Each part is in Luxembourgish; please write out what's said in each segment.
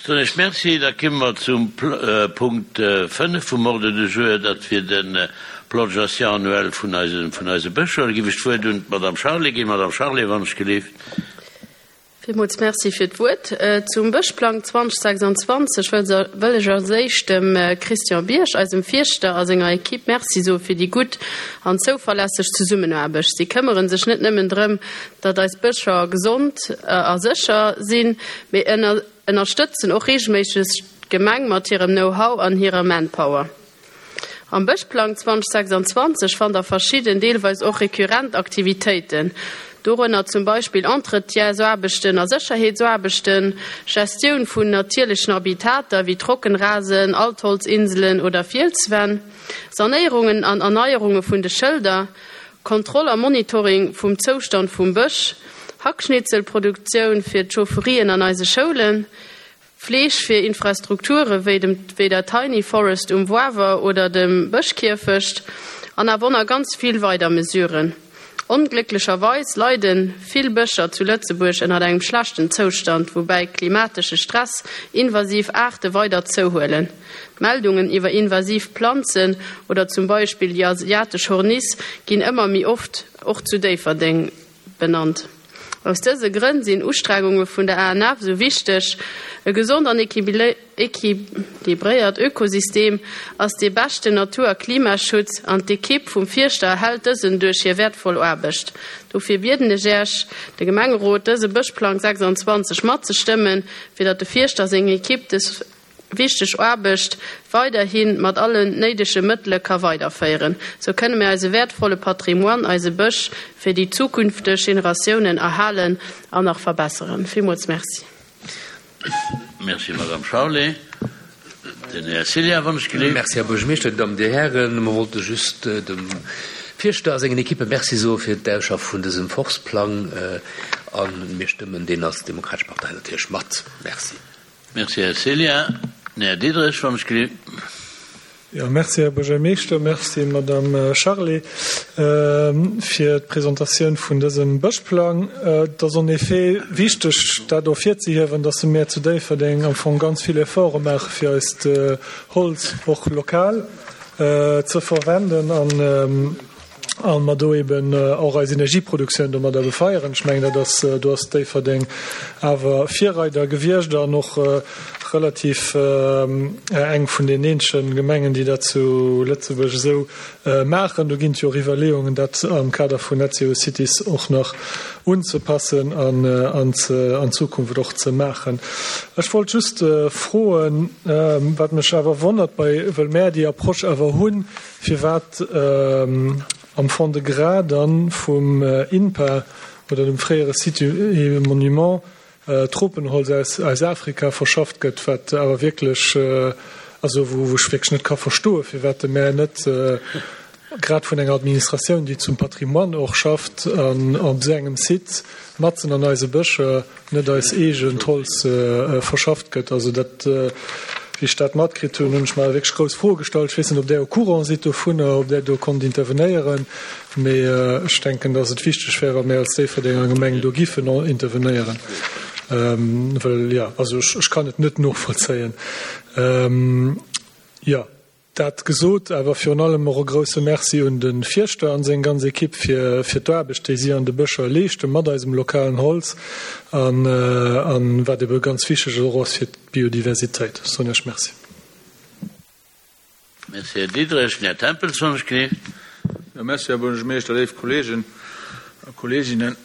Soen ech Merci. Da kimme mer zum Punkt 5 vum Ordre du jour, dat wier de Plan de gestion annuel vun eise, vun eise Bëscher. Da giff ech d'Wuert un d'Madame Charlé ginn. Madame Charlé, wann ech gelift. Villmools Merci fir d'Wuert. Zum Bëschplang 2026 wëll ech als éischt dem Christian Bierg, eisem Fierschter, a senger Equipe Merci soe fir déi gutt an zouverlässeg Zesummenaarbecht. Si këmmere sech net nëmmen drëm, datt eis Bëscher gesond a sécher sinn, mee ënnerstëtzen och reegelméisseg d'Gemeng mat hirem Know-how an hirer Manpower. Am Bëschplang 2026 fannt der verschidden, deelweis och rekurrent Aktivitéiten, dorënner zum Beispill Entretiensaarbechten a Sécherheetsaarbechten, Gestioun vun natierlechen Habitater wéi Trockenrasen, Altholzinselen oder Fielswänn, Sanéierungen an Erneierunge vun de Schëlder, Kontroll a Monitoring vum Zoustand vum Bësch, Hackschnitzelproduktioun fir d'Chaufferien an eise Schoulen, Fleeg fir Infrastrukture wéi dem wéi der Tiny Forest um Woawer oder dem Bëschkierfecht an awer na ganz vill weider Mesuren. Onglécklecherweis leide vill Bëscher zu Lëtzebuerg ënnert engem schlechten Zoustand, woubäi klimatesche Stress invasiv Aarte weider zouhuelen. D'Meldungen iwwer invasiv Planzen oder zum Beispill déi asiatesch Horniss ginn ëmmer méi oft, och zu Déifferdeng. Benannt. Aus dëse Grënn sinn Ustrengunge vun der ANF esou wichteg. E gesond an equilibréiert Ökosystem ass dee beschten Natur a Klimaschutz an d'Ekipp vum Fierschter erhält dësen duerch hir wäertvoll Aarbecht. Dofir bieden ech Äech, de Gemengerot, dëse Bëschplang 26 matzestëmmen, fir datt de Fierschter a seng Ekipp dës wichteg Aarbecht weiderhi mat allen néidege Mëttele ka weiderféieren. Sou kënne mir eise wäertvolle Patrimoine, eise Bësch, fir déi zukünfteg Generatiounen erhalen an nach verbesseren. Villmools Merci. Merci, Madame Charlé. Den Här Cillien, wann ech gelift. Merci, Här Buergermeeschter, Dir Dammen, Dir Hären. Mer wollte just dem Fierschter a sengen Ekippe Merci soe fir d'Ausschaffe vun dësem Forstplang a mir stëmmen deen als Demokratesch Partei natierlech mat. Merci. Merci, Här Cillien. Den Här Diderich, wann ech gelift. Jo, merci, Här Buergermeeschter. Merci, Madame Charlé, fir d'Presentatioun vun dësem Bëschplang. Et ass en effet wichteg, dat ervirzehiewen, dass mir zu Déifferdeng am Fong ganz vill Efforte maache fir eist Holz och lokal ze verwenden an a mer do eben och eis Energieproduktioun domadder befeieren. Ech mengen, dat ass, do ass Déifferdeng awer Virreider gewiescht an och relativ eng vun den eenzege Gemengen, déi dat zu Lëtzebuerg esou maachen. Do ginn et jo och Iwwerleeungen, dat am Kader vun Net Zero Cities och nach unzepassen an an Zukunft och ze maachen. Ech wollt just froen, wat mech awer wonnert bei, wëll mär déi Approche awer hunn, Firwat am Fond-de-Gras dann vum INPA oder dem fréiere Site et Monument Tropenholz aus Afrika verschafft gëtt, wat awer wierklech, also wou ech wierklech net ka verstoen, firwat de Maire net grad vun enger Administratioun, déi zum Patrimoine och schafft, an op esou engem Site matzen an eise Bëscher net eis eegent Holz verschafft gëtt. Also dat, wéi ech dat matkritt hunn, hunn ech mer wierklech grouss Froe gestallt. Ech weess net, ob Där au courant sidd dovunner, ob Där do konnt intervenéieren, mee ech denken, dass et wichteg wär, wa mir als Déifferdenger Gemeng do giffen intervenéieren, well, jo, also ech kann et net novollzéien. Jo. Dat gesot, awer virun allem och e grousse Merci un de Fierschter an seng ganz Ekipp fir fir d'Aarbecht, déi si an de Bëscher leeschten, mat eisem lokalen Holz an an wat ebe ganz wichteg och ass fir d'Biodiversitéit. Ech soen Iech Merci. Merci, Här Diderich. Den Här Tempels, wann ech gelift. Jo, merci, Här Buergermeeschter, léif Kolleegen a Kolleeginnen.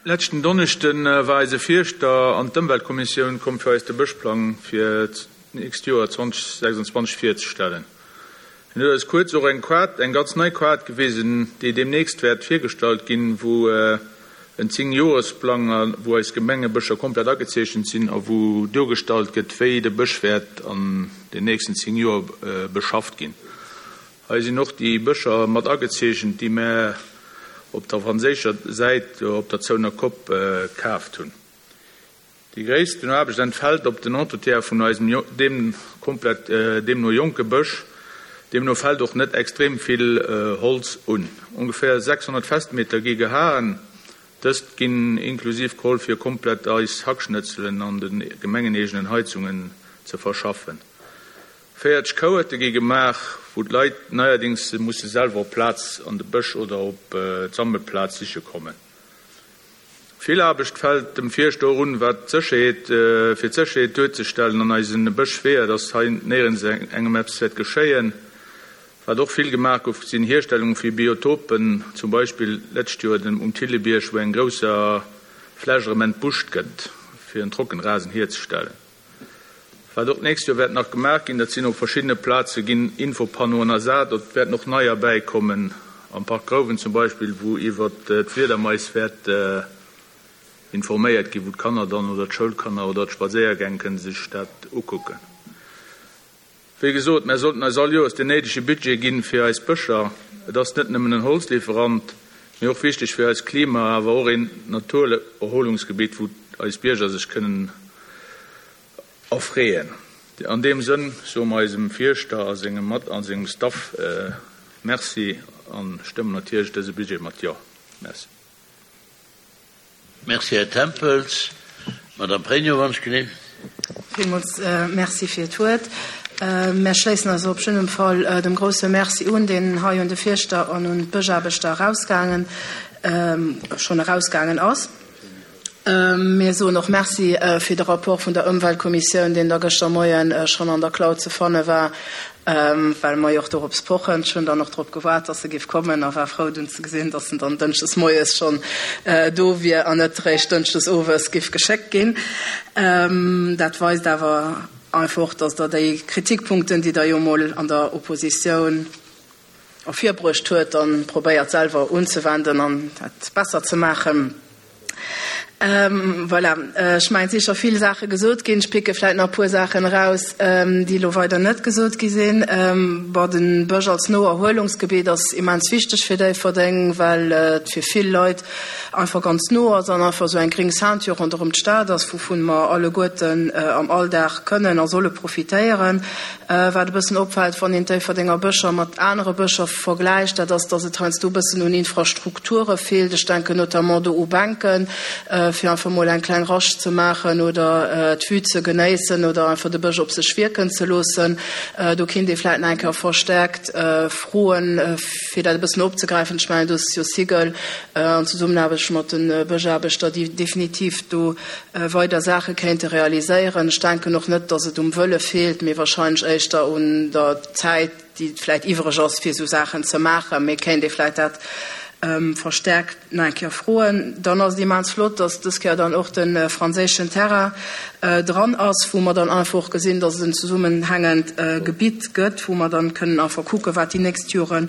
Leschten Donneschde war eise Fierschter an d'Ëmweltkommissioun komm fir eis de Bëschplang fir d'nächst Joer 2026 virzestellen. Hien huet eis kuerz och eng Kaart, eng ganz nei Kaart gewisen, déi deemnächst wäert virgestallt ginn, wou en Zéngjoresplang a wou eis Gemengebëscher komplett agezeechent sinn a wou duergestallt gëtt, wéi de Bësch wäert an den nächsten 10 Joer beschafft ginn. Hei sinn och déi Bëscher mat agezeechent, déi mär op der franséischer Säit op der Zouner Kopp kaaft hunn. Déi gréissten Aarbecht entfält op den Entretien vun eisem deem komplett deemno jonke Bësch. Deemno fält och net extrem vill Holz un. Ongeféier 600 Festmeter gi gehaen. Dëst ginn inklusiv geholl fir komplett eis Hackschnëtzelen an de gemengeneegenen Heizungen ze verschaffen. 40 Kouerte gi gemaach, wou d'Leit neierdings musse selwer op d'Plaz an de Bësch oder op d'Sammelplaz siche kommen. Vill Aarbecht fält dem Fierschter och un, wat d'Sécherheet, fir d'Sécherheet duerzestellen an eise Bëschweeër, dass hei néierens engem eppes wäert geschéien. Wat och vill gemaach gouf, sinn Hierstellunge fir Biotopen, zum Beispill d'lescht Joer den um Thillebierg, wou eng grousser Fläch erëm entbuscht gëtt, fir en Trockenrasen hierzestellen. Wat och d'nächst Joer wäert nach gemaach ginn, dat sinn op verschiddene Plaze ginn Infopannoen ersat, et wäerten och neier bäikommen, am Park Grouwen zum Beispill, wou iwwer d'Fliedermais wäert informéiert ginn, wou d'Kanner dann oder d'Schoulkanner oder d'Spadséiergäng kënne sech dat ukucken. Wéi gesot, mär sollten eis all Joers den néidege Budget ginn fir eis Bëscher. Et ass net nëmmen en Holzlieferant, mee och wichteg fir eist Klima, awer och een Naturerholungsgebitt, wou eis Bierger sech kënnen erfreeën. An deem Sënn soe mer eisem Fierschter a sengem Mat a sengem Staff Merci a stëmmen natierlech dëse Budget mat Jo. Merci. Merci, Här Tempels. Madame Pregno, wann ech genee. Villmools Merci fir d'Wuert. Mär schléissen eis op jiddem Fall dem grouse Merci un, deen hei un de Fierschter an un d'Bëschaarbechter erausgaangen, schonn erausgaangen ass. Mir soen och Merci fir de Rapport vun der Ëmweltkommissioun, deen da gëschter Moien schonn an der Cloud ze fanne war, well mer jo och dorops pochen. Ech hunn dann och drop gewaart, dass e géif kommen a war frou dunn ze gesinn, dass en dann dënschdes moies schonn do wier an net eréischt dënschdes owes géif geschéckt ginn. Dat weist awer einfach och, dass Der déi Kritikpunkten, déi Der jo emol an der Oppositioun ervirbruecht huet, dann probéiert selwer unzewenden an dat besser ze maachen. Voilà, ech mengen, et si scho vill Saache gesot ginn. Ech picke vläicht nach e puer Saachen eraus, déi elo weider net gesot gi sinn. Bon, de Bësch als Noerhuelungsgebitt ass immens wichteg fir Déifferdeng, well et fir vill Leit einfach ganz no ass an einfach esou eng gréng Ceinture ronderëm d'Stad ass, wouvun mer alleguerten am Alldag kënnen a solle profitéieren. Wat e bëssen opfält, wann een d'Déifferdenger Bëscher mat anere Bëscher vergläicht, dat ass, dass et heiansdo e bëssen un Infrastrukture feelt. Ech denken notamment do u Bänken, fir einfach mol eng kleng Rascht ze maachen oder d'Vue ze genéissen oder einfach de Bësch op sech wierken ze loossen. Do kinnt ee vläicht nach eng Kéier verstärkt froen, fir dat e bëssen opzegräifen. Ech mengen, do ass jo Sigel an Zesummenaarbecht mat de Bëschaarbechter, déi definitiv do weider Saache kéinte realiséieren. Ech denken och net, datt et um Wëlle feelt, mee wahrscheinlech éischter un der Zäit, déi vläicht iwwereg ass, fir esou Saachen ze maachen. Mee kéint ee vläicht dat verstärkt nach eng Kéier froen. Dann ass et immens flott, datt dës Kéier dann och de franséischen Terrain dran ass, wou mer dann einfach och gesinn, datt et en zesummenhängend Gebitt gëtt, wou mer dann kënnen einfach kucken, wat déi nächst Jore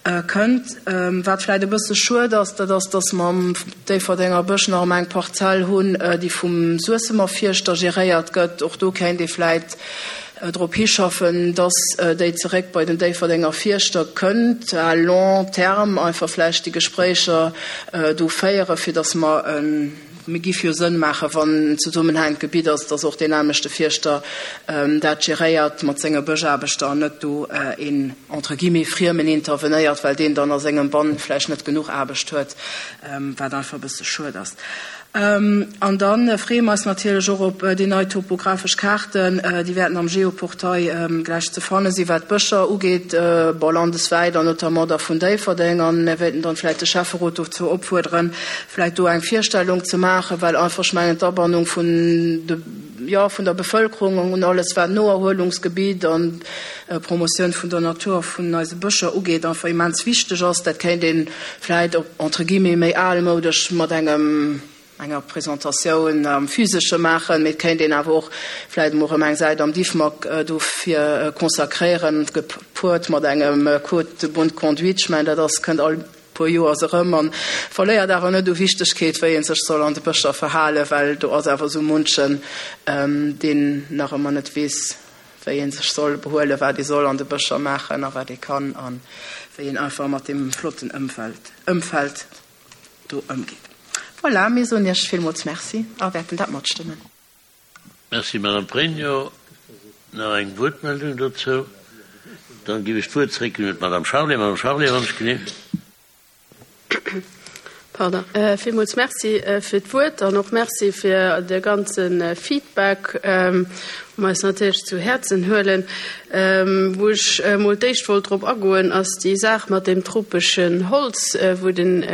Kënnt. Wat vläit e bësse schued ass, dat ass, dass mer am Déifferdenger Bësch nach ëmmer eng Parzell hunn, déi vum Suessemer Fierschter geréiert gëtt. Och do kéint ee vläit drop hischaffen, dass déi zeréck bei den Déifferdenger Fierschter kënnt, à long terme einfach vläicht déi Gespréicher do féieren, fir dass mer e. Mir giff jo Sënn maachen, wann en zesummenhängend Gebitt ass, dass och deen nämmlechte Fierschter dat geréiert mat senge Bëschaarbechter an net do een entre guillemets Friemen intervenéiert, well deen dann a sengem Bann vläicht net genuch Aarbecht huet, wat einfach e bësse schued ass. An da freeë mer eis natierlech och op déi nei topographesch Kaarten, déi wäerten am Geoportail gläich ze fanne sinn, wat d'Bëscher ugeet, bon, landeswäit an notamment da vun Déifferdeng. An mir wéilten dann vläicht de Schäfferot dozou opfuerderen, vläit do eng Virstellung ze maachen, well einfach, ech mengen, d'Abannung vun de, jo, vun der Bevölkerung un alles, wat Noerhuelungsgebitt an Promotioun vun der Natur a vun eise Bëscher ugeet, einfach immens wichteg ass. Dat kéint ee vläit op, entre guillemets, méi almoudesch mat engem, enger Presentatioun am Physesche maachen, mee et kéint een awer och vläit emol erëm eng Säit am Diffmag dofir consacréieren, gepuert mat engem Code de bonne conduite. Ech mengen, dat ass, kënnt all puer Joers erëm an verléiert awer net u Wichtegkeet, wéi ee sech soll an de Bëscher verhalen, well do ass awer esou munchen, deen nach ëmmer net weess, wéi ee sech soll behuelen, wat ee soll an de Bëscher maachen a wat ee kann a wéi een einfach mat deem flotten Ëmfeld, Ëmfeld do ëmgeet. Voilà, mir soen Iech villmools Merci a wäerten dat matstëmmen. Merci, Madame Pregno. Nach eng Wuertmeldung dozou? Dann ginn ech d'Wuert zréck un d'Madame Charlé. Madame Charlé, wann ech genee. Pardon. Villmools Merci fir d'Wuert an och Merci fir de ganze Feedback, wou mer eis natierlech zu Häerzen huelen. Wou ech emol d'éischt wollt drop agoen, ass déi Saach mat deem tropeschen Holz, wou den,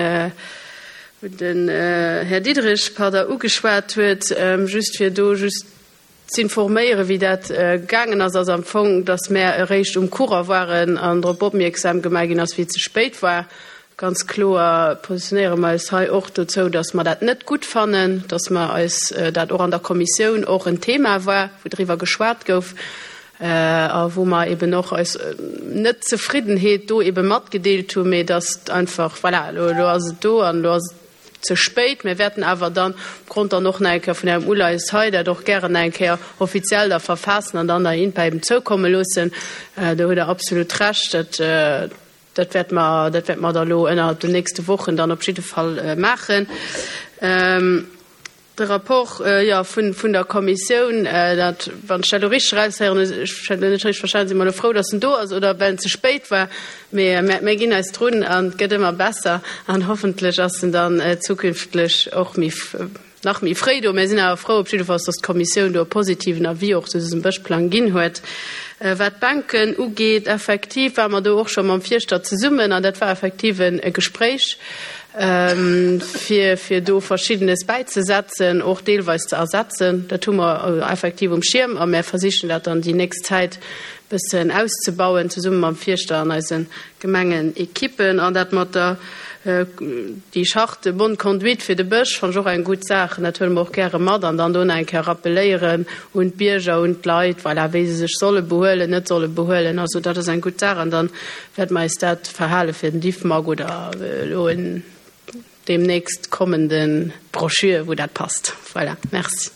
wou den Här Diderich, pardon, ugeschwat huet, just fir do just Z'informéieren, wéi dat gaangen ass, ass am Fong, datt mär eréischt um Courant waren an drop opmierksam gemaach ginn ass, wéi et ze spéit war. Ganz kloer positionéiere mer eis hei och dozou, datt mer dat net gutt fannen, datt mer eis dat och an der Kommissioun och en Thema war, wou driwwer geschwat gouf a wou mer eben och eis Net-Zefriddenheet do ebe matgedeelt hunn, mee datt einfach, voilà, elo ass et do an elo ass et ze spéit. Mir wäerten awer dann, opgrond dann och nach eng Kéier vun Ärem Uleies hei, dat och gären nach eng Kéier offiziell da verfaassen an dann der INPA eben zoukomme loossen. Do hutt Der absolut Recht. Dat, dat wäerte mer, dat wäerte mer da elo ënnerhalb den nächste Wochen dann op jidde Fall maachen. De Rapport, jo, vun der Kommissioun, dat, wann ech dat elo richteg eraushéieren, ech hunn dat net richteg verstanen, si mer elo frou, datt en do ass, oder well en ze spéit war. Mee mir ginn eis drun an et gëtt ëmmer besser an hoffentlech ass en dann zukünftlech och méi, nach méi fréi do. Mir sinn awer frou op jiddefalls, datt d'Kommissioun do e positiven Avis och zu dësem Bëschplang ginn huet. Wat d'Bänken ugeet, effektiv ware mer do och scho mam Fierschter zesummen an dat war effektiv e Gespréich, fir fir do Verschiddenes bäizesetzen, och deelweis ze ersetzen. Dat hu mer effektiv um Schierm a mär versichen dat dann déi nächst Zäit bëssen auszebauen, zesumme mam Fierschter an eise Gemengenekippen. An dat mat der déi Charte de bonne conduite fir de Bësch fannen ech och eng gutt Saach an dat huele mer och gäre mat an dann do nach eng Kéier rappeléieren un d'Bierger, un d'Leit, voilà, wéi se sech solle behuelen, net solle behuelen. Also dat ass eng gutt Saach an dann Wäerte mer eis dat verhale fir den Diffmag oder elo en deemnächst kommende Broschür, wou dat passt. Voilà, merci.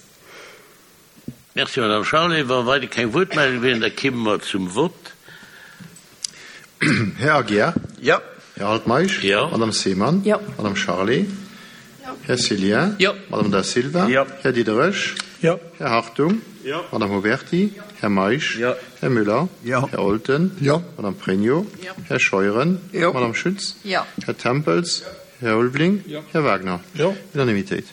Merci, Madame Charlé. Wa weider keng Wuertmeldung wieren, da kimme mer zum Vott. Här Aguiar? Jo. Här Altmeisch? Jo. Madame Seemann? Jo. Madame Charlé? Jo. Här Cillien? Jo. Madame Da Silva? Jo. Här Diderich? Jo. Här Hartung? Jo. Madame Huberty? Jo. Här Meisch? Jo. Här Müller? Jo. Här Olten? Jo. Madame Pregno? Jo. Här Scheuren? Jo. Madame Schütz? Jo. Här Tempels? Jo. Här Ulveling? Jo. Här Wagner? Jo. Unanimitéit.